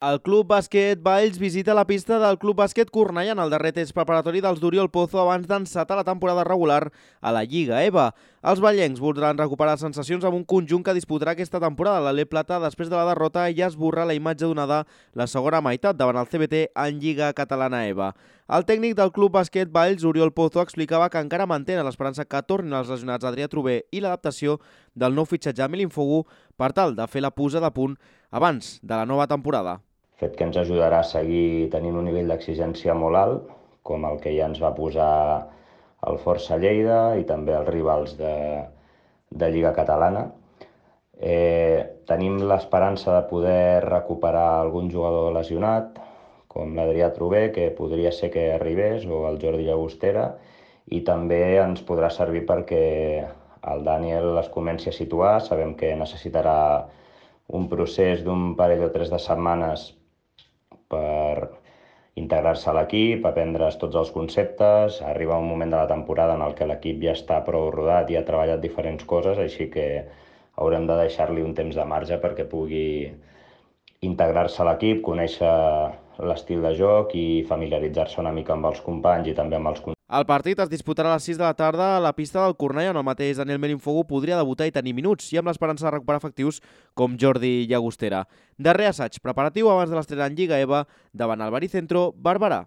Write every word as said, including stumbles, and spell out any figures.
El Club Bàsquet Valls visita la pista del Club Bàsquet Cornellà en el darrer test preparatori dels d'Oriol Pozo abans d'encetar la temporada regular a la Lliga E V A. Els vallencs voldran recuperar sensacions amb un conjunt que disputarà aquesta temporada. L'Alé Plata, després de la derrota, ja esborra la imatge donada la segona meitat davant el C B T en Lliga Catalana E V A. El tècnic del Club Bàsquet Valls, Oriol Pozo, explicava que encara mantenen l'esperança que tornin els lesionats Adrià Trober i l'adaptació del nou fitxatge Emili Infogu per tal de fer la posada a punt abans de la nova temporada. Fet que ens ajudarà a seguir tenint un nivell d'exigència molt alt, com el que ja ens va posar el Força Lleida i també els rivals de, de Lliga Catalana. Eh, tenim l'esperança de poder recuperar algun jugador lesionat, com l'Adrià Trober, que podria ser que arribés, o el Jordi Llagostera, i també ens podrà servir perquè el Daniel es comenci a situar. Sabem que necessitarà un procés d'un parell o tres de setmanes per integrar-se a l'equip, aprendre's tots els conceptes, arribar a un moment de la temporada en el que l'equip ja està prou rodat i ha treballat diferents coses, així que haurem de deixar-li un temps de marge perquè pugui integrar-se a l'equip, conèixer l'estil de joc i familiaritzar-se una mica amb els companys i també amb els companys. El partit es disputarà a les sis de la tarda a la pista del Cornellà, on el mateix Daniel Melinfogu podria debutar i tenir minuts, i amb l'esperança de recuperar efectius com Jordi Llagostera. Darrer assaig preparatiu abans de l'estrena en Lliga E V A davant el Baricentro Barberà.